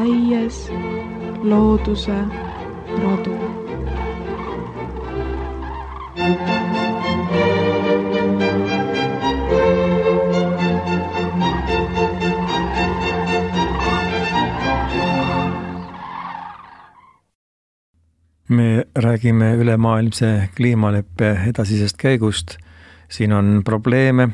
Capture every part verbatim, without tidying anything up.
täies looduse rodu. Me räägime ülemaailmse kliimaleppe edasisest käigust. Siin on probleeme,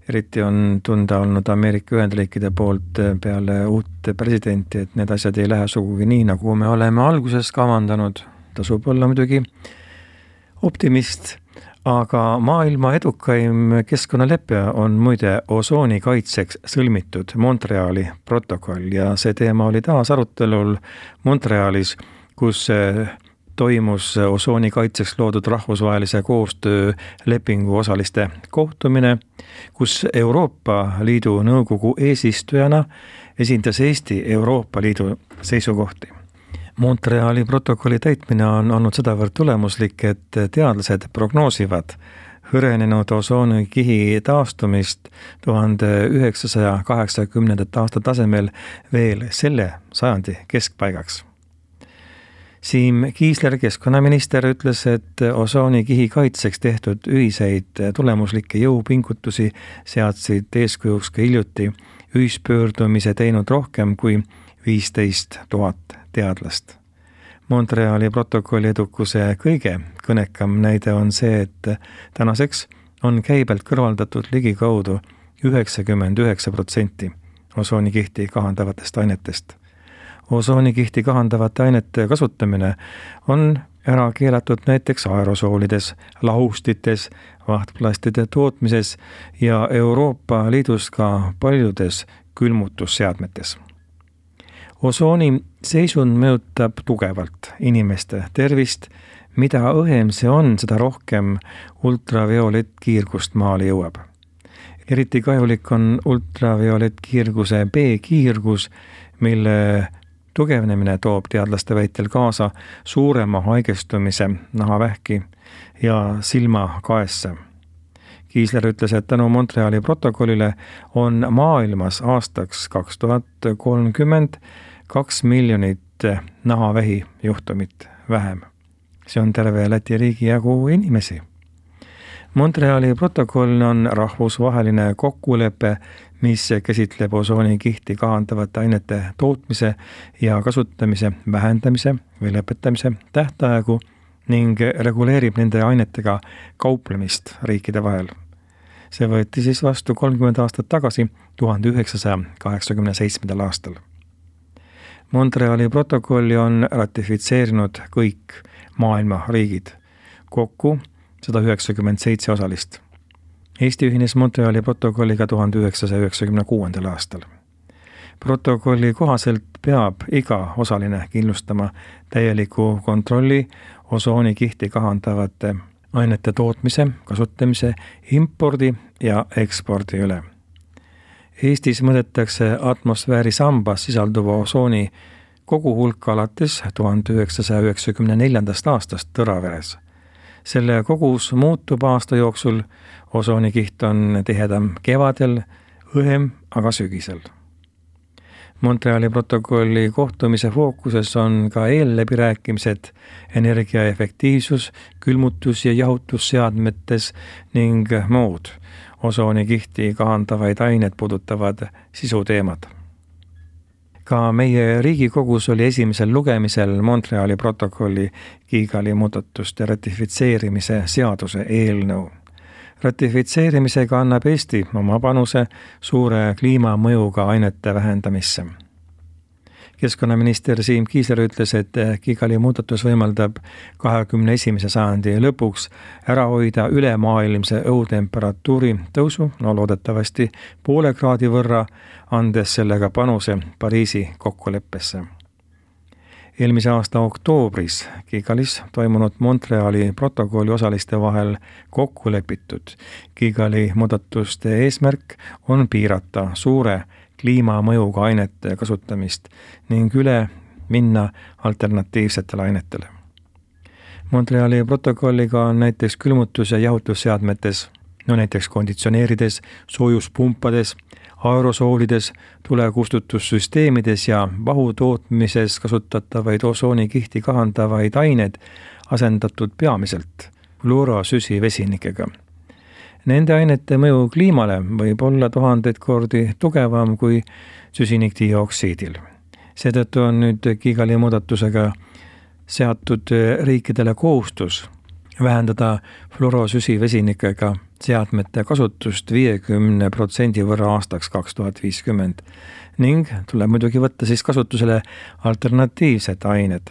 eriti on tunda olnud Ameerika Ühendriikide poolt peale uut presidenti, et need asjad ei lähe sugugi nii, nagu me oleme alguses kavandanud. Tasub olla muidugi optimist, aga maailma edukaim keskkonnaleppe on muide osooni kaitseks sõlmitud Montreali protokoll ja see teema oli taas arutelul Montrealis, kus toimus osooni kaitseks loodud rahvusvahelise koostöö lepingu osaliste kohtumine, kus Euroopa Liidu nõukogu eesistujana esindas Eesti Euroopa Liidu seisukohti. Montreali protokolli täitmine on olnud sedavõrd tulemuslik, et teadlased prognoosivad hõrenenud osoonikihi taastumist tuhande üheksasaja kaheksakümnendate aasta tasemel veel selle sajandi keskpaigaks. Siim Kiisler, keskkonnaminister, ütles, et osoonikihi kaitseks tehtud ühiseid tulemuslikke jõupingutusi seadsid eeskujuks ka hiljuti ühispöördumise teinud rohkem kui viisteist tuhat teadlast. Montreali protokolli edukuse kõige kõnekam näide on see, et tänaseks on käibelt kõrvaldatud ligikaudu üheksakümmend üheksa protsenti osoonikihti kahandavatest ainetest. Osoonikihti kahandavate ainete kasutamine on ära keelatud näiteks aerosoolides, lahustites, vahtplastide tootmises ja Euroopa Liidus ka paljudes külmutusseadmetes. Osooni seisund mõjutab tugevalt inimeste tervist. Mida õhem see on, seda rohkem ultraviolettkiirgust maale jõuab. Eriti kahjulik on ultraviolettkiirguse B-kiirgus, mille tugevnemine toob teadlaste väitel kaasa suurema haigestumise nahavähki ja silmakaesse. Kiisler ütles, et tänu Montreali protokollile on maailmas aastaks kaks tuhat kolmkümmend kaks miljonit nahavähi juhtumit vähem. See on terve Läti riigi jagu inimesi. Montreali protokoll on rahvusvaheline kokkulepe, mis käsitleb osoonikihti kahandavate ainete tootmise ja kasutamise vähendamise või lõpetamise tähtaegu ning reguleerib nende ainetega kauplemist riikide vahel. See võeti siis vastu kolmkümmend aastat tagasi, tuhande üheksasaja kaheksakümne seitsmendal aastal. Montreali protokolli on ratifitseerinud kõik maailma riigid, kokku sada üheksakümmend seitse osalist. Eesti ühines Montreali protokolliga tuhande üheksasaja üheksakümne kuuendal aastal. Protokolli kohaselt peab iga osaline kindlustama täieliku kontrolli osoonikihti kahandavate ainete tootmise, kasutamise, impordi ja ekspordi üle. Eestis mõõdetakse atmosfääri sambas sisalduva osooni kogu hulk alates tuhande üheksasaja üheksakümne neljandast aastast Tõraveres. Selle kogus muutub aasta jooksul, osoonikiht on tihedam kevadel, õhem aga sügisel. Montreali protokolli kohtumise fookuses on ka eelläbirääkimised energiaefektiivsus, külmutus- ja jahutusseadmetes ning muud osoonikihti kahandavaid aineid puudutavad sisuteemad. Ka meie Riigikogus oli esimesel lugemisel Montreali protokolli Kigali muudatuste ratifitseerimise seaduse eelnõu. Ratifitseerimisega annab Eesti oma panuse suure kliimamõjuga ainete vähendamisse. Keskkonnaminister Siim Kiisler ütles, et Kigali muudatus võimaldab kahekümne esimese sajandi lõpuks ära hoida ülemaailmse õhutemperatuuri tõusu, no loodetavasti poole kraadi võrra, andes sellega panuse Pariisi kokkuleppesse. Eelmise aasta oktoobris Kigalis toimunud Montreali protokolli osaliste vahel kokku lepitud Kigali muudatuste eesmärk on piirata suure kliimamõjuga ainete kasutamist ning üle minna alternatiivsetele ainetele. Montreali protokolliga on näiteks külmutus- ja jahutusseadmetes, no näiteks konditsioneerides, soojuspumpades, aerosoolides, tulekustutussüsteemides ja vahu tootmises kasutatavaid osoonikihti kahandavaid aineid asendatud peamiselt fluorosüsivesinikega. Nende ainete mõju kliimale võib olla tuhandeid kordi tugevam kui süsinikdioksiidil. Seetõttu on nüüd Kigali muudatusega seatud riikidele kohustus vähendada fluorosüsivesinikega seadmete kasutust viiekümne protsendi võrra aastaks kaks tuhat viiskümmend ning tuleb muidugi võtta siis kasutusele alternatiivsed ained.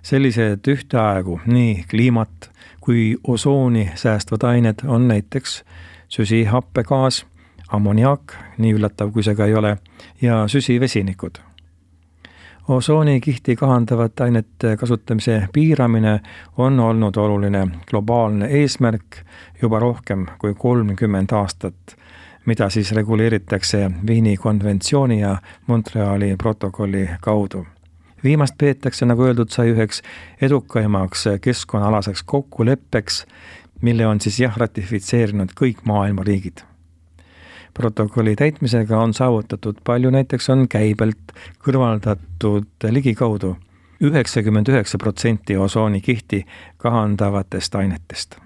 Sellised ühtaegu nii kliimat kui osooni säästvad ained on näiteks süsihappegaas, ammoniaak, nii üllatav kui see ka ei ole, ja süsivesinikud. Osoonikihti kahandavate ainete kasutamise piiramine on olnud oluline globaalne eesmärk juba rohkem kui kolmkümmend aastat, mida siis reguleeritakse Viini konventsiooni ja Montreali protokolli kaudu. Viimast peetakse, nagu öeldud, sai üheks edukaimaks keskkonnaalaseks kokkuleppeks, mille on siis jah ratifitseerinud kõik maailma riigid. Protokolli täitmisega on saavutatud palju, näiteks on käibelt kõrvaldatud ligikaudu üheksakümmend üheksa protsenti osoonikihti kahandavatest ainetest.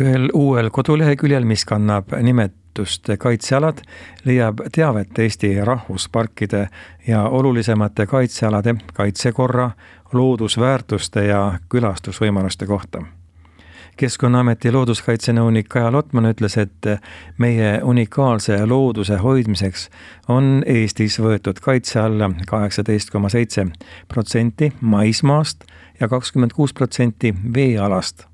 Ühel uuel koduleheküljel, mis kannab nimetust kaitsealad, leiab teavet Eesti rahvusparkide ja olulisemate kaitsealade kaitsekorra, loodusväärtuste ja külastusvõimaluste kohta. Keskkonnaameti looduskaitsenõunik Kaja Lotman ütles, et meie unikaalse looduse hoidmiseks on Eestis võetud kaitse alla kaheksateist koma seitse protsenti maismaast ja kakskümmend kuus protsenti veealast.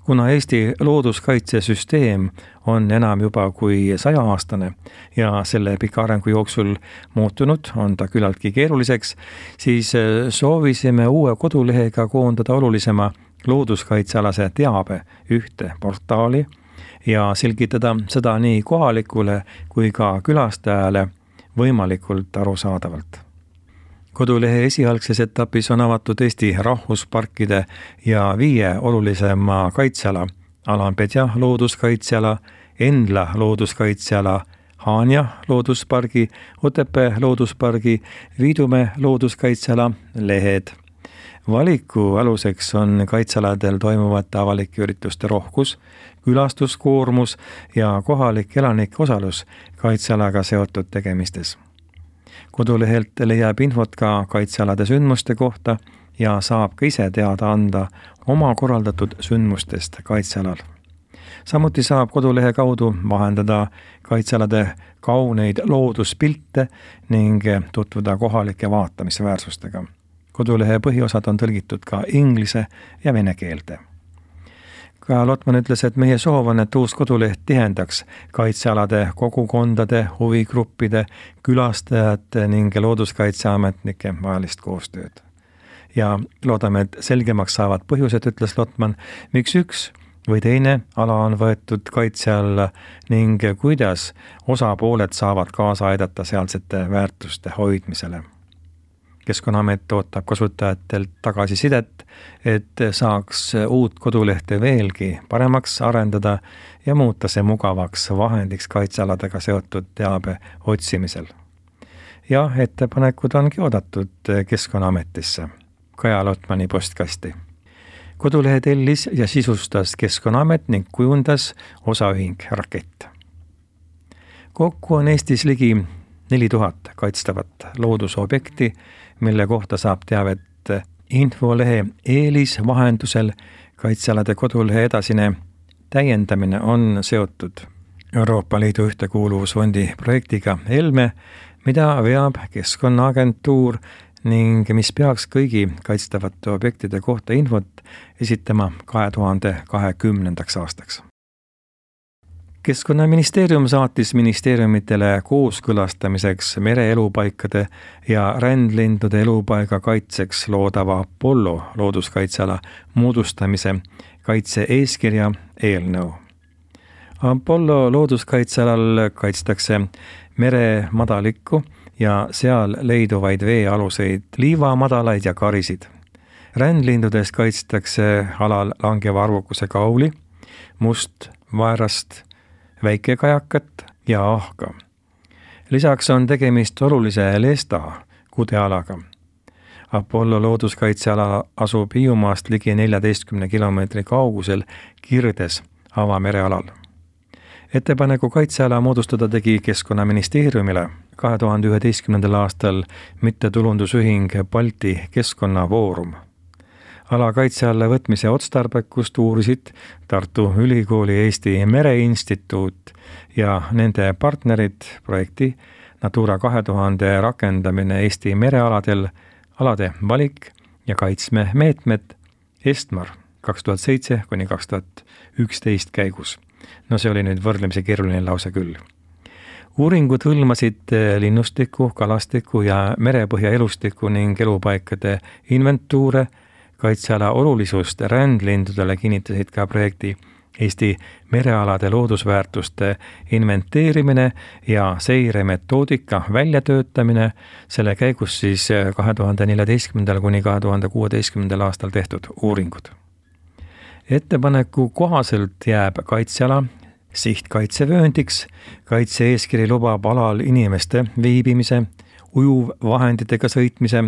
Kuna Eesti looduskaitsesüsteem on enam juba kui sajaaastane ja selle pika arengu jooksul muutunud, on ta küllaltki keeruliseks, siis soovisime uue kodulehega koondada olulisema looduskaitsealase teabe ühte portaali ja selgitada seda nii kohalikule kui ka külastajale võimalikult arusaadavalt. Kodulehe esialgses etapis on avatud Eesti rahvusparkide ja viie olulisema kaitseala, Alanpedja looduskaitseala, Endla looduskaitseala, Haanja looduspargi, Otepää looduspargi, Viidumäe looduskaitseala lehed. Valiku aluseks on kaitsealadel toimuvate avalike ürituste rohkus, külastuskoormus ja kohalik elanike osalus kaitsealaga seotud tegemistes. Kodulehelt leiab infot ka kaitsealade sündmuste kohta ja saab ka ise teada anda oma korraldatud sündmustest kaitsealal. Samuti saab kodulehe kaudu vahendada kaitsealade kauneid looduspilte ning tutvuda kohalike vaatamisväärsustega. Kodulehe põhiosad on tõlgitud ka inglise ja vene keelde. Kaja Lotman ütles, et meie soov on, et uus koduleht tihendaks kaitsealade kogukondade, huvigruppide, külastajate ning looduskaitseametnike vahelist koostööd. Ja loodame, et selgemaks saavad põhjused, ütles Lotman, miks üks või teine ala on võetud kaitse alla ning kuidas osapooled saavad kaasa aidata sealsete väärtuste hoidmisele. Keskkonnaamet ootab kasutajatelt tagasisidet, et saaks uut kodulehte veelgi paremaks arendada ja muuta see mugavaks vahendiks kaitsealadega seotud teabe otsimisel. Ja ettepanekud ongi oodatud Keskkonnaametisse, Kaja Lotmani postkasti. Kodulehe tellis ja sisustas Keskkonnaamet ning kujundas osaühing Rakett. Kokku on Eestis ligi neli tuhat kaitstavat loodusobjekti, mille kohta saab teavet infolehe Eelis vahendusel. Kaitsealade kodulehe edasine täiendamine on seotud Euroopa Liidu ühtekuuluvusfondi projektiga Helme, mida veab Keskkonnaagentuur ning mis peaks kõigi kaitstavate objektide kohta infot esitama kahe tuhande kahekümnendaks aastaks. Keskkonnaministeerium saatis ministeeriumitele kooskõlastamiseks mereelupaikade ja rändlindude elupaiga kaitseks loodava Apollo looduskaitseala moodustamise kaitse eeskirja eelnõu. Apollo looduskaitsealal kaitstakse mere madalikku ja seal leiduvaid veealuseid liivamadalaid ja karisid. Rändlindudest kaitstakse alal langeva arvukuse kauli, must, vaerast, väikekajakat ja ahka. Lisaks on tegemist olulise lesta kudealaga. Apollo looduskaitseala asub Hiiumaast ligi neljateistkümne kilomeetri kaugusel Kirdes avamerealal. Ettepaneku kaitseala moodustada tegi Keskkonnaministeeriumile kahe tuhande üheteistkümnendal aastal mittetulundusühing Balti Keskkonnafoorum. Ala kaitse alla võtmise otstarbekust uurisid Tartu Ülikooli Eesti Mereinstituut ja nende partnerid projekti Natura kahe tuhande rakendamine Eesti merealadel, alade valik ja kaitsmemeetmed Estmar kaks tuhat seitse kuni kaks tuhat üksteist käigus. No see oli nüüd võrdlemisi keeruline lause küll. Uuringud hõlmasid linnustiku, kalastiku ja merepõhja elustiku ning elupaikade inventuure. Kaitseala olulisust rändlindudele kinnitasid ka projekti Eesti merealade loodusväärtuste inventeerimine ja seiremetoodika väljatöötamine, selle käigus siis kahe tuhande neljateistkümnendal kuni kahe tuhande kuueteistkümnendal aastal tehtud uuringud. Ettepaneku kohaselt jääb kaitseala sihtkaitsevööndiks, kaitse-eeskiri lubab alal inimeste viibimise, ujuvvahenditega sõitmise,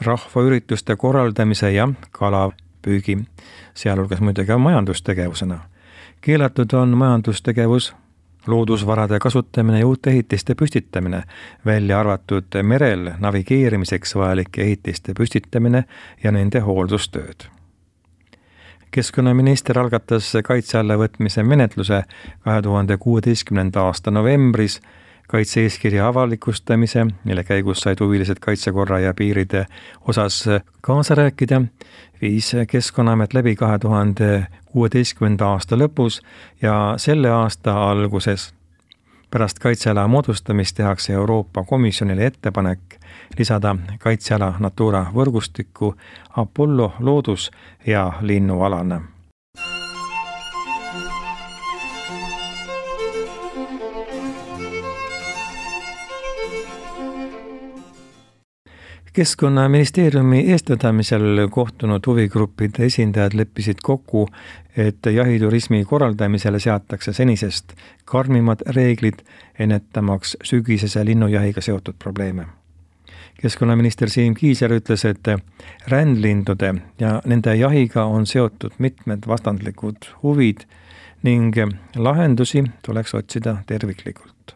rahvaürituste korraldamise ja kalapüügi, sealhulgas muidugi majandustegevusena. Keelatud on majandustegevus, loodusvarade kasutamine ja uute ehitiste püstitamine, välja arvatud merel navigeerimiseks vajalike ehitiste püstitamine ja nende hooldustööd. Keskkonnaminister algatas kaitse alla võtmise menetluse kahe tuhande kuueteistkümnenda aasta novembris, kaitse-eeskirja avalikustamise, mille käigus said huvilised kaitsekorra ja piiride osas kaasa rääkida, viis Keskkonnaamet läbi kahe tuhande kuueteistkümnenda aasta lõpus ja selle aasta alguses. Pärast kaitseala moodustamist tehakse Euroopa Komisjonile ettepanek lisada kaitseala Natura võrgustikku Apollo loodus- ja linnualana. Keskkonnaministeeriumi eestvedamisel kohtunud huvigruppide esindajad leppisid kokku, et jahiturismi korraldamisele seatakse senisest karmimad reeglid, ennetamaks sügisese linnujahiga seotud probleeme. Keskkonnaminister Siim Kiisler ütles, et rändlindude ja nende jahiga on seotud mitmed vastandlikud huvid ning lahendusi tuleks otsida terviklikult.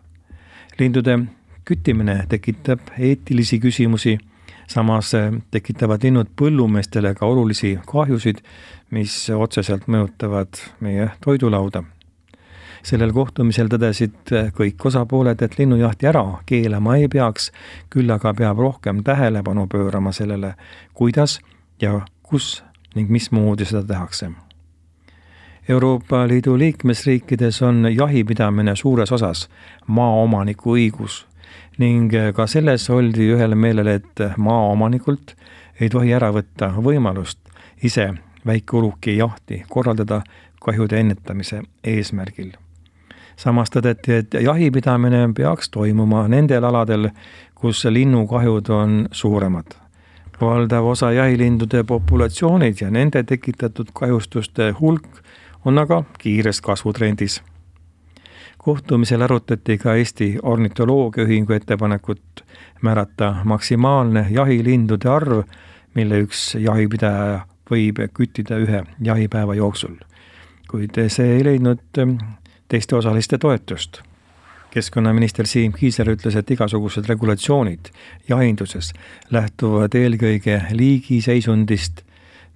Lindude küttimine tekitab eetilisi küsimusi, samas tekitavad linnud põllumeestele ka olulisi kahjusid, mis otseselt mõjutavad meie toidulauda. Sellel kohtumisel tõdesid kõik osapooled, et linnujahti ära keelama ei peaks, küll aga peab rohkem tähelepanu pöörama sellele, kuidas ja kus ning mismoodi seda tehakse. Euroopa Liidu liikmesriikides on jahipidamine suures osas maaomaniku õigus ning ka selles oldi ühel meelel, et maaomanikult ei tohi ära võtta võimalust ise väikeuruki jahti korraldada kahjude ennetamise eesmärgil. Samas tõdeti, et jahipidamine peaks toimuma nendel aladel, kus linnukahjud on suuremad. Valdav osa jahilindude populatsioonid ja nende tekitatud kahjustuste hulk on aga kiires kasvutrendis. Kohtumisel arutati ka Eesti Ornitoloogiaühingu ettepanekut määrata maksimaalne jahilindude arv, mille üks jahipidaja võib küttida ühe jahipäeva jooksul, kuid see ei leidnud teiste osaliste toetust. Keskkonnaminister Siim Kiisler ütles, et igasugused regulatsioonid jahinduses lähtuvad eelkõige liigiseisundist.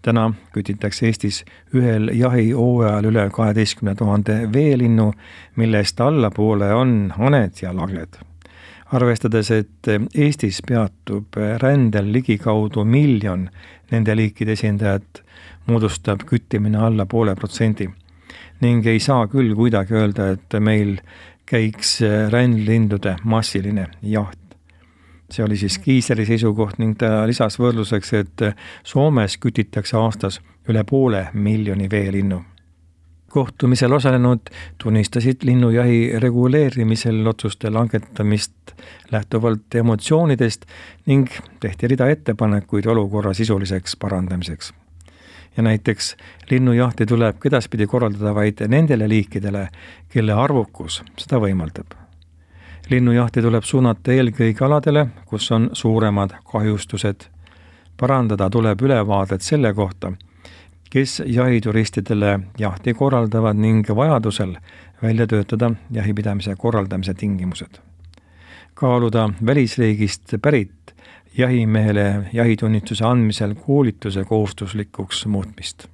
Täna kütitakse Eestis ühel jahihooajal üle kaheteistkümne tuhande veelinnu, millest allapoole on haned ja lagled. Arvestades, et Eestis peatub rändel ligikaudu miljon nende liikide esindajat, moodustab küttimine alla poole protsendi ning ei saa küll kuidagi öelda, et meil käiks rändlindude massiline jaht. See oli siis Kiisleri seisukoht ning ta lisas võrdluseks, et Soomes kütitakse aastas üle poole miljoni veelinnu. kohtumisel osalenud tunnistasid linnujahi reguleerimisel otsuste langetamist lähtuvalt emotsioonidest ning tehti rida ettepanekuid olukorra sisuliseks parandamiseks. Ja näiteks linnujahti tuleb edaspidi korraldada vaid nendele liikidele, kelle arvukus seda võimaldab. Linnujahti tuleb suunata eelkõige aladele, kus on suuremad kahjustused. Parandada tuleb ülevaadet selle kohta, kes jahituristidele jahti korraldavad ning vajadusel välja töötada jahipidamise korraldamise tingimused. Kaaluda välisriigist pärit jahimehele jahitunnistuse andmisel koolituse kohustuslikuks muutmist.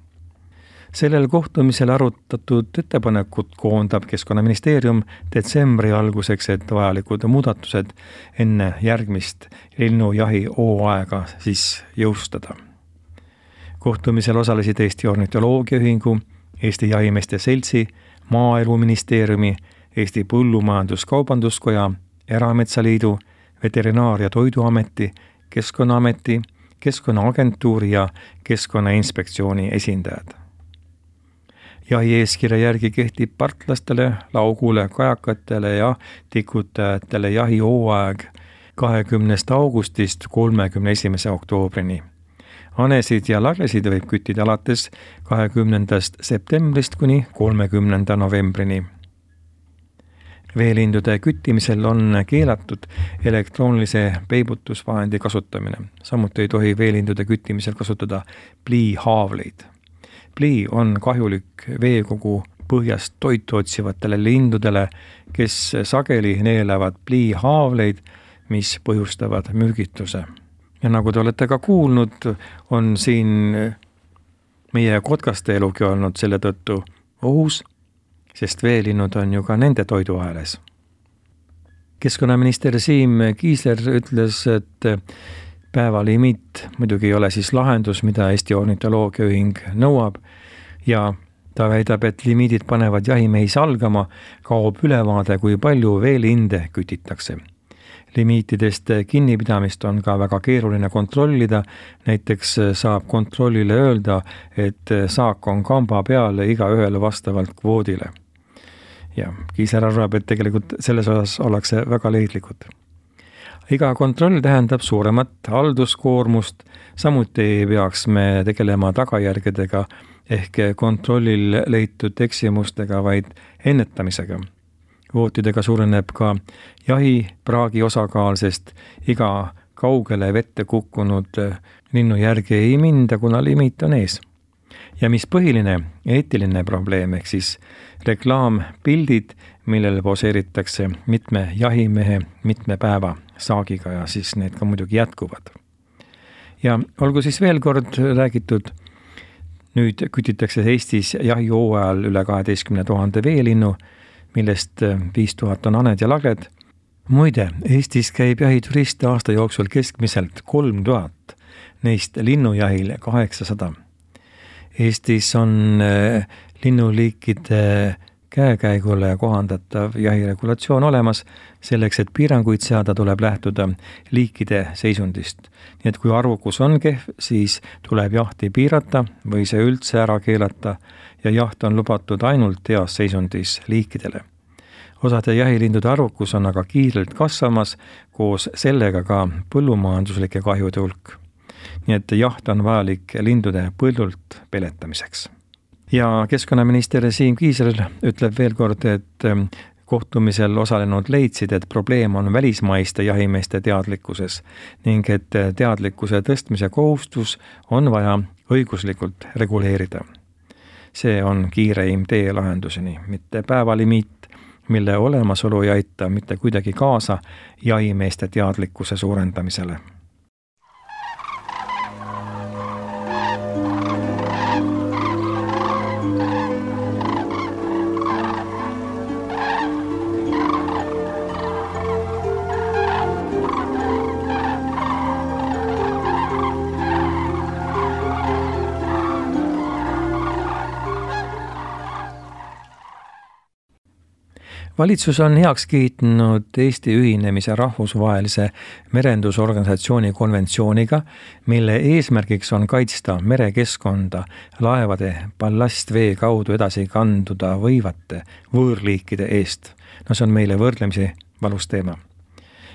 Sellel kohtumisel arutatud ettepanekut koondab Keskkonnaministeerium detsembri alguseks, et vajalikud muudatused enne järgmist linnujahi hooaega siis jõustada. Kohtumisel osalesid Eesti Ornitoloogiaühingu, Eesti Jahimeeste Seltsi, Maaeluministeeriumi, Eesti Põllumajandus-Kaubanduskoja, Erametsaliidu, Veterinaar- ja Toiduameti, Keskkonnaameti, Keskkonnaagentuuri ja Keskkonnainspektsiooni esindajad. Jahi eeskirja järgi kehtib partlastele, laugule, kajakatele ja tikutajatele jahi hooaeg kahekümnendast augustist kolmekümne esimese oktoobrini. Anesid ja laglesid võib küttida alates kahekümnendast septembrist kuni kolmekümnenda novembrini. Veelindude küttimisel on keelatud elektroonilise peibutusvahendi kasutamine. Samuti ei tohi veelindude küttimisel kasutada pliihaavleid. Plii on kahjulik veekogu põhjast toitu otsivatele lindudele, kes sageli neelavad pliihaavleid, mis põhjustavad mürgituse. Ja nagu te olete ka kuulnud, on siin meie kotkaste elugi olnud selle tõttu ohus, sest veelinnud on ju ka nende toiduaheles. Keskkonnaminister Siim Kiisler ütles, et päevalimiit muidugi ei ole siis lahendus, mida Eesti Ornitoloogiaühing nõuab, ja ta väidab, et limiidid panevad jahimehi salgama, kaob ülevaade, kui palju veelinde kütitakse. Limiitidest kinnipidamist on ka väga keeruline kontrollida, näiteks saab kontrollile öelda, et saak on kamba peal iga ühele vastavalt kvoodile. Ja Kiisler arvab, et tegelikult selles osas ollakse väga leidlikud. Iga kontroll tähendab suuremat halduskoormust, samuti ei peaks me tegelema tagajärgedega ehk kontrollil leitud eksimustega, vaid ennetamisega. Kvootidega suureneb ka jahi praagi osakaal, sest iga kaugele vette kukkunud linnu järgi ei minda, kuna limiit on ees. Ja mis põhiline eetiline probleem, ehk siis reklaampildid, millele poseeritakse mitme jahimehe mitme päeva saagiga ja siis need ka muidugi jätkuvad. Ja olgu siis veel kord räägitud, nüüd kütitakse Eestis jahi hooajal üle kaheteistkümne tuhande veelinnu, millest viis tuhat on aned ja lagled. Muide, Eestis käib jahituriste aasta jooksul keskmiselt kolm tuhat, neist linnujahil kaheksasada. Eestis on linnuliikide käekäigule kohandatav jahiregulatsioon olemas, selleks, et piiranguid seada, tuleb lähtuda liikide seisundist. Nii et kui arvukus on kehv, siis tuleb jahti piirata või see üldse ära keelata ja jaht on lubatud ainult heas seisundis liikidele. Osade jahilindude arvukus on aga kiirelt kasvamas, koos sellega ka põllumajanduslike kahjude hulk. Nii et jaht on vajalik lindude põllult peletamiseks. Ja keskkonnaminister Siim Kiisler ütleb veel kord, et kohtumisel osalenud leidsid, et probleem on välismaiste jahimeeste teadlikkuses ning et teadlikkuse tõstmise kohustus on vaja õiguslikult reguleerida. See on kiireim tee lahenduseni, mitte päevalimiit, mille olemasolu ei aita mitte kuidagi kaasa jahimeeste teadlikkuse suurendamisele. Valitsus on heaks kiitnud Eesti ühinemise rahvusvahelise merendusorganisatsiooni konventsiooniga, mille eesmärgiks on kaitsta merekeskkonda laevade ballastvee kaudu edasi kanduda võivate võõrliikide eest. No see on meile võrdlemisi valus teema.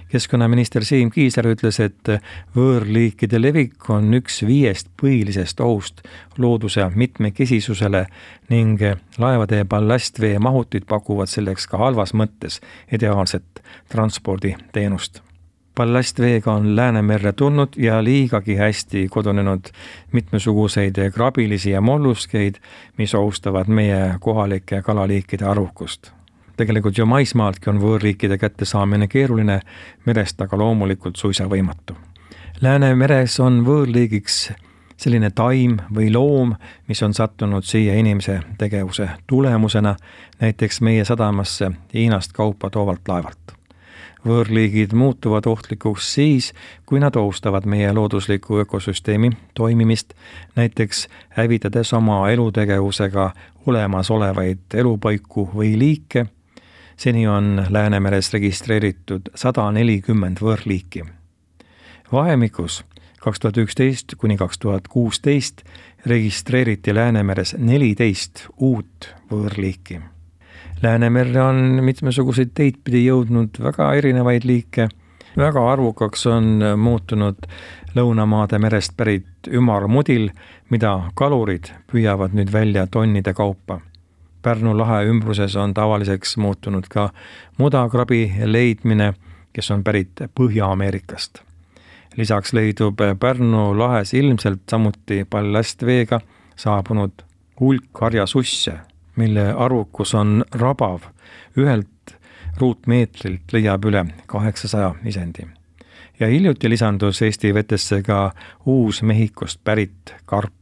Keskkonnaminister Siim Kiisler ütles, et võõrliikide levik on üks viiest põhilisest ohust looduse mitmekesisusele ning laevade ballastvee mahutid pakuvad selleks ka halvas mõttes ideaalset transporditeenust. Ballastveega on Läänemerre tulnud ja liigagi hästi kodunenud mitmesuguseid krabilisi ja molluskeid, mis ohustavad meie kohalike kalaliikide arvukust. Tegelikult ju maismaaltki on võõrliikide kätte saamine keeruline, merest aga loomulikult suisa võimatu. Läänemeres on võõrliigiks selline taim või loom, mis on sattunud siia inimese tegevuse tulemusena, näiteks meie sadamasse Hiinast kaupa toovalt laevalt. Võõrliigid muutuvad ohtlikuks siis, kui nad ohustavad meie loodusliku ökosüsteemi toimimist, näiteks hävitades oma elutegevusega olemasolevaid elupaiku või liike. Seni on Läänemeres registreeritud sada nelikümmend võõrliiki. Vahemikus kaks tuhat üksteist kuni kaks tuhat kuusteist registreeriti Läänemeres neliteist uut võõrliiki. Läänemerre on mitmesuguseid teid pidi jõudnud väga erinevaid liike. Väga arvukaks on muutunud Lõunamaade merest pärit ümarmudil, mida kalurid püüavad nüüd välja tonnide kaupa. Pärnu lahe ümbruses on tavaliseks muutunud ka mudakrabi leidmine, kes on pärit Põhja-Ameerikast. Lisaks leidub Pärnu lahes ilmselt samuti ballastveega saabunud hulk harjasusse, mille arvukus on rabav. Ühelt ruutmeetrilt leiab üle kaheksasaja isendi. Ja hiljuti lisandus Eesti vetesse ka uus Mehhikost pärit karp.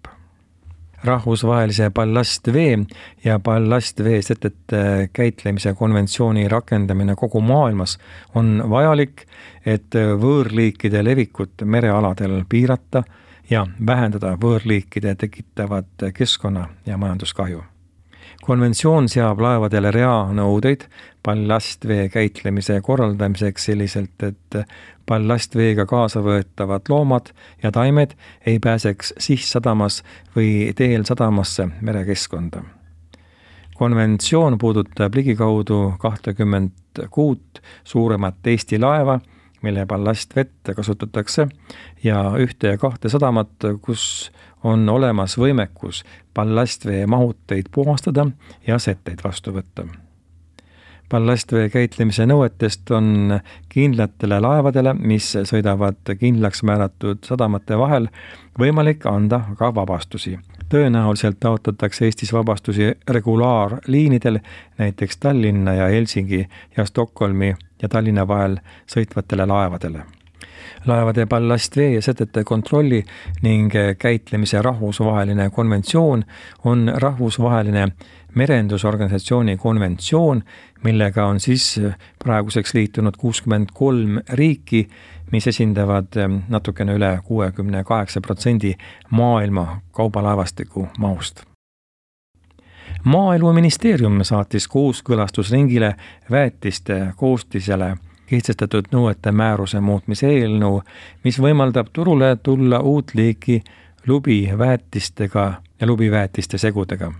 Rahvusvahelise ballastvee ja ballastvee setete käitlemise konventsiooni rakendamine kogu maailmas on vajalik, et võõrliikide levikut merealadel piirata ja vähendada võõrliikide tekitavat keskkonna- ja majanduskahju. Konventsioon seab laevadele rea nõudeid ballastvee käitlemise korraldamiseks selliselt, et ballastveega kaasa võetavad loomad ja taimed ei pääseks sihsadamas või teel sadamasse merekeskkonda. Konventsioon puudutab ligikaudu kakskümmend kuut suuremat Eesti laeva, mille ballastvett kasutatakse, ja ühte ja kahte sadamat, kus on olemas võimekus ballastvee mahuteid puhastada ja setteid vastu võtta. Ballastvee käitlemise nõuetest on kindlatele laevadele, mis sõidavad kindlaks määratud sadamate vahel, võimalik anda ka vabastusi. Tõenäoliselt taotletakse Eestis vabastusi regulaarliinidel, näiteks Tallinna ja Helsingi ja Stockholmi ja Tallinna vahel sõitvatele laevadele. Laevade ballastvee ja setete kontrolli ning käitlemise rahvusvaheline konventsioon on rahvusvaheline merendusorganisatsiooni konventsioon, millega on siis praeguseks liitunud kuuskümmend kolm riiki, mis esindavad natukene üle kuuekümne kaheksa protsendi maailma kaubalaevastiku mahust. Maaeluministeerium saatis kooskõlastusringile väetiste koostisele kehtestatud nõuete määruse muutmise eelnõu, mis võimaldab turule tulla uut liiki lubiväetistega ja lubiväetiste segudega.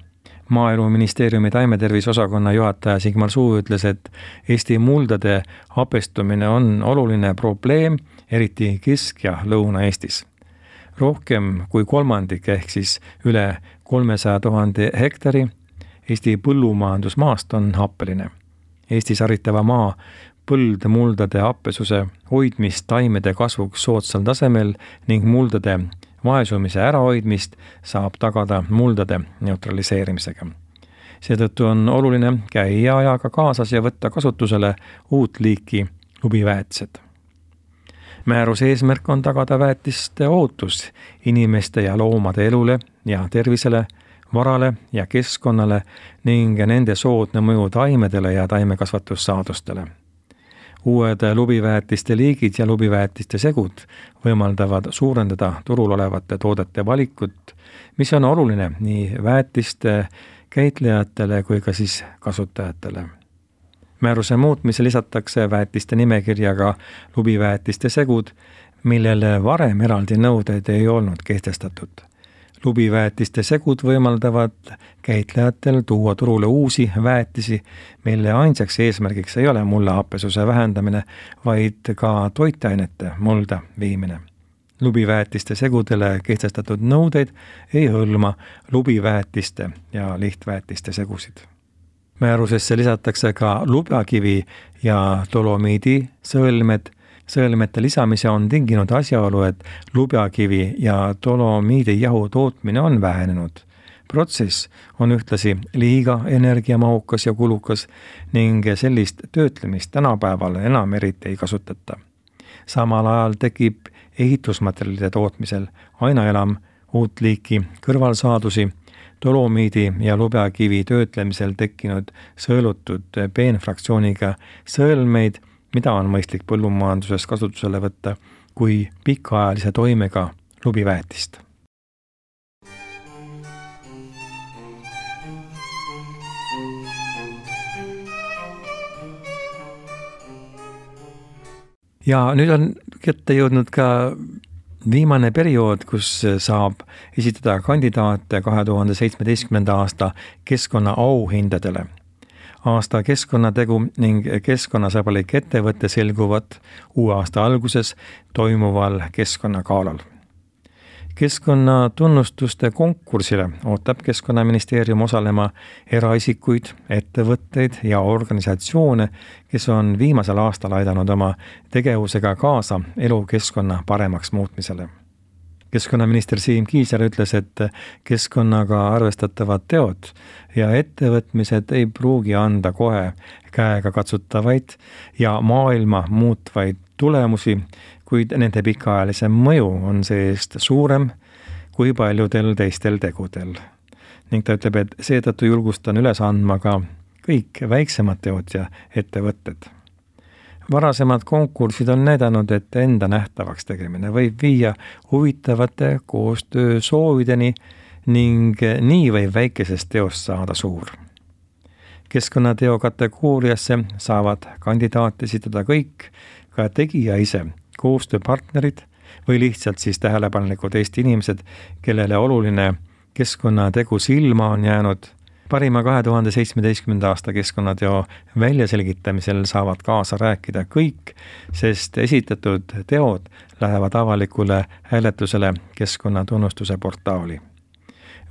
Maaeluministeeriumi taimetervisosakonna juhataja Sigmar Suu ütles, et Eesti muldade hapestumine on oluline probleem, eriti Kesk- ja Lõuna-Eestis. Rohkem kui kolmandik ehk siis üle kolmesaja tuhande hektari Eesti põllumajandusmaast on happeline. Eestis haritava maa põldmuldade happesuse hoidmist taimede kasvuks soodsal tasemel ning muldade vaesumise ärahoidmist saab tagada muldade neutraliseerimisega. Seetõttu on oluline käia ajaga kaasas ja võtta kasutusele uut liiki lubiväetised. Määruse eesmärk on tagada väetiste ootus inimeste ja loomade elule ja tervisele, varale ja keskkonnale ning nende soodne mõju taimedele ja taimekasvatussaadustele. Uued lubiväetiste liigid ja lubiväetiste segud võimaldavad suurendada turul olevate toodete valikut, mis on oluline nii väetiste käitlejatele kui ka siis kasutajatele. Määruse muutmise lisatakse väetiste nimekirjaga lubiväetiste segud, millele varem eraldi nõudeid ei olnud kehtestatud. Lubiväetiste segud võimaldavad käitlejatel tuua turule uusi väetisi, mille ainsaks eesmärgiks ei ole mullahappesuse vähendamine, vaid ka toitainete mulda viimine. Lubiväetiste segudele kehtestatud nõudeid ei hõlma lubiväetiste ja lihtväetiste segusid. Määrusesse lisatakse ka lubjakivi ja dolomiidi sõelmed. Sõelmete lisamise on tinginud asjaolu, et lubjakivi ja dolomiidi jahu tootmine on vähenenud. Protsess on ühtlasi liiga energiamahukas ja kulukas ning sellist töötlemist tänapäeval enam eriti ei kasutata. Samal ajal tekib ehitusmaterjalide tootmisel aina enam uut liiki kõrvalsaadusi, dolomiidi ja lubjakivi töötlemisel tekkinud sõelutud peenfraktsiooniga sõelmeid, mida on mõistlik põllumajanduses kasutusele võtta kui pikaajalise toimega lubiväetist. Ja nüüd on kätte jõudnud ka viimane periood, kus saab esitada kandidaate kahe tuhande seitsmeteistkümnenda aasta keskkonna auhindadele. Aasta keskkonnategu ning keskkonnasõbralik ettevõte selguvad uue aasta alguses toimuval keskkonnakaalal. Keskkonnatunnustuste konkursile ootab Keskkonnaministeerium osalema eraisikuid, ettevõtteid ja organisatsioone, kes on viimasel aastal aidanud oma tegevusega kaasa elukeskkonna paremaks muutmisele. Keskkonnaminister Siim Kiisler ütles, et keskkonnaga arvestatavad teod ja ettevõtmised ei pruugi anda kohe käega katsutavaid ja maailma muutvaid tulemusi, kuid nende pikaajalise mõju on seest suurem kui paljudel teistel tegudel. Ning ta ütleb, et seetõttu julgustan üles andma ka kõik väiksemad teod ja ettevõtted. Varasemad konkursid on näidanud, et enda nähtavaks tegemine võib viia huvitavate koostöö soovideni ning nii võib väikesest teost saada suur. Keskkonnateo kategooriasse saavad kandidaat esitada kõik, ka tegija ise, koostööpartnerid või lihtsalt siis tähelepanelikud Eesti inimesed, kellele oluline keskkonnategu silma on jäänud. Parima kahe tuhande seitsmeteistkümnenda aasta keskkonnateo väljaselgitamisel saavad kaasa rääkida kõik, sest esitatud teod lähevad avalikule hääletusele keskkonnatunnustuse portaali.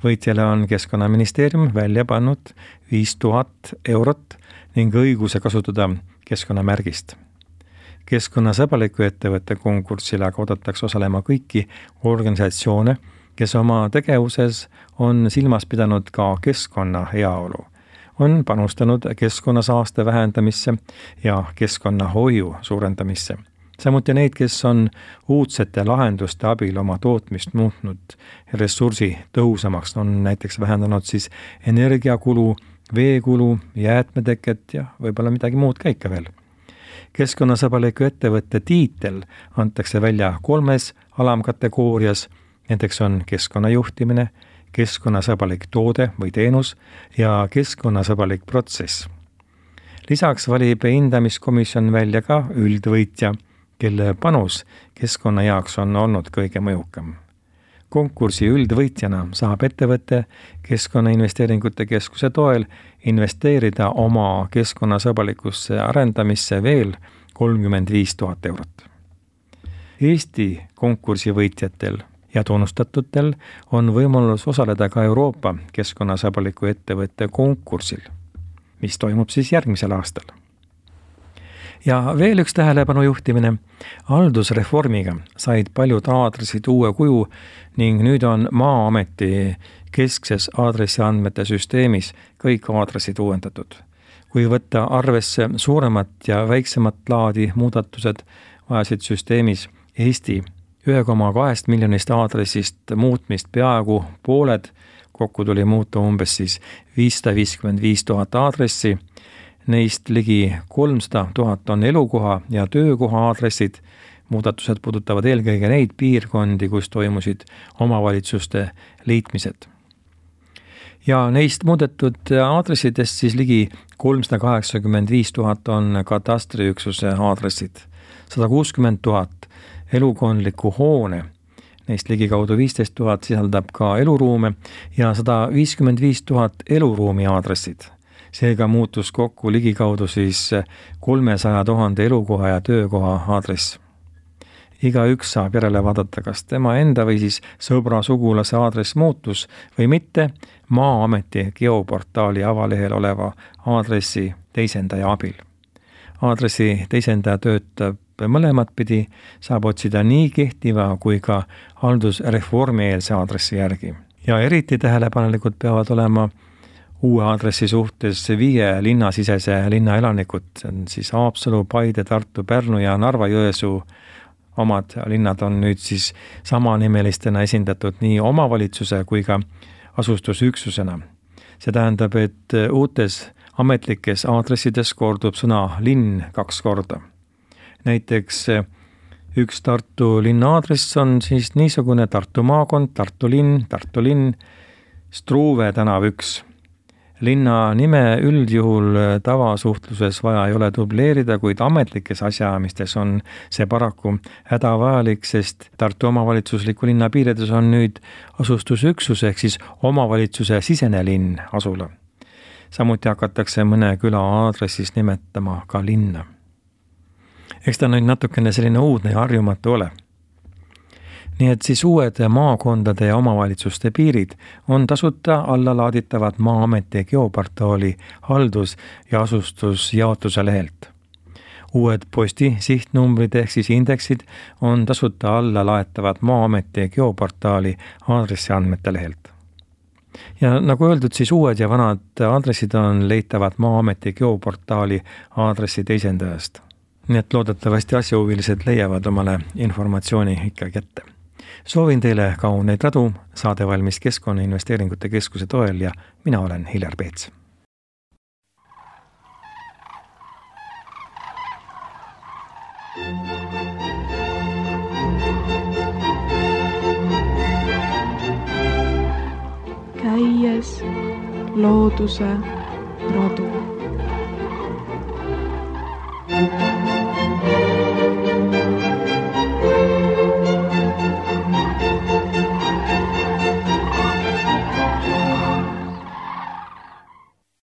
Võitjale on Keskkonnaministeerium välja pannud viis tuhat eurot ning õiguse kasutada keskkonnamärgist. Keskkonnasõbraliku ettevõtte konkursile aga oodatakse osalema kõiki organisatsioone, kes oma tegevuses on silmas pidanud ka keskkonna heaolu, on panustanud keskkonnasaaste vähendamisse ja keskkonnahoiu suurendamisse. Samuti neid, kes on uudsete lahenduste abil oma tootmist muutnud ressursi tõhusamaks, on näiteks vähendanud siis energiakulu, veekulu, jäätmeteket ja võib-olla midagi muud ka ikka veel. Keskkonnasõbraliku ettevõtte tiitel antakse välja kolmes alamkategoorias. Nendeks on keskkonnajuhtimine, keskkonnasõbralik toode või teenus ja keskkonnasõbralik protsess. Lisaks valib hindamiskomisjon välja ka üldvõitja, kelle panus keskkonna jaoks on olnud kõige mõjukam. Konkursi üldvõitjana saab ettevõte Keskkonnainvesteeringute Keskuse toel investeerida oma keskkonnasõbralikusse arendamisse veel kolmkümmend viis tuhat eurot. Eesti konkursi võitjatel ja tunnustatutel on võimalus osaleda ka Euroopa keskkonnasõbraliku ettevõtte konkursil, mis toimub siis järgmisel aastal. Ja veel üks tähelepanu juhtimine. Haldusreformiga said paljud aadressid uue kuju ning nüüd on Maa-ameti keskses aadressiandmete süsteemis kõik aadressid uuendatud. Kui võtta arvesse suuremat ja väiksemat laadi muudatused, vajasid süsteemis Eesti ühe koma kahest miljonist aadressist muutmist peaaegu pooled, kokku tuli muuta umbes siis viissada viiskümmend viis tuhat aadressi, neist ligi kolmsada tuhat on elukoha ja töökoha aadressid. Muudatused puudutavad eelkõige neid piirkondi, kus toimusid omavalitsuste liitmised. ja neist muudetud aadressidest siis ligi kolmsada kaheksakümmend viis tuhat on katastriüksuse aadressid, sada kuuskümmend tuhat elukondliku hoone, neist ligikaudu viisteist tuhat sisaldab ka eluruume ja sada viiskümmend viis tuhat eluruumi aadressid. Seega muutus kokku ligikaudu siis kolmesaja tuhande elukoha ja töökoha aadress. Iga üks saab järele vaadata, kas tema enda või siis sõbra sugulase aadress muutus või mitte Maa-ameti geoportaali avalehel oleva aadressi teisendaja abil. Aadressi teisendaja töötab mõlemat pidi, saab otsida nii kehtiva kui ka haldusreformieelse aadressi järgi. Ja eriti tähelepanelikud peavad olema uue aadressi suhtes viie linnasisese linna elanikud, see on siis Haapsalu, Paide, Tartu, Pärnu ja Narva-Jõesuu. Omad linnad on nüüd siis samanimelistena esindatud nii omavalitsuse kui ka asustusüksusena. See tähendab, et uutes ametlikes aadressides kordub sõna linn kaks korda. Näiteks üks Tartu linna aadress on siis niisugune Tartu maakond, Tartu linn, Tartu linn, Struve tänav üks. Linna nime üldjuhul tavasuhtluses vaja ei ole dubleerida, kuid ametlikes asjaajamistes on see paraku hädavajalik, sest Tartu omavalitsusliku linna piirides on nüüd asustusüksus ehk siis omavalitsuse sisene linn asula. Samuti hakatakse mõne küla aadressis nimetama ka linna. Eks ta nüüd natukene selline uudne ja harjumatu ole. Nii et siis uued maakondade ja omavalitsuste piirid on tasuta allalaaditavad Maa-ameti geoportaali haldus- ja asustusjaotuse lehelt. Uued posti sihtnumbrid ehk siis indeksid on tasuta allalaetavad Maa-ameti geoportaali aadressiandmete lehelt. Ja nagu öeldud, siis uued ja vanad aadressid on leitavad Maa-ameti geoportaali aadressi teisendajast. Nii et loodetavasti asjahuvilised leiavad omale informatsiooni ikka kätte. Soovin teile kauneid radu, saade valmis Keskkonnainvesteeringute Keskuse toel ja mina olen Hiljar Peets. Käies looduse radu.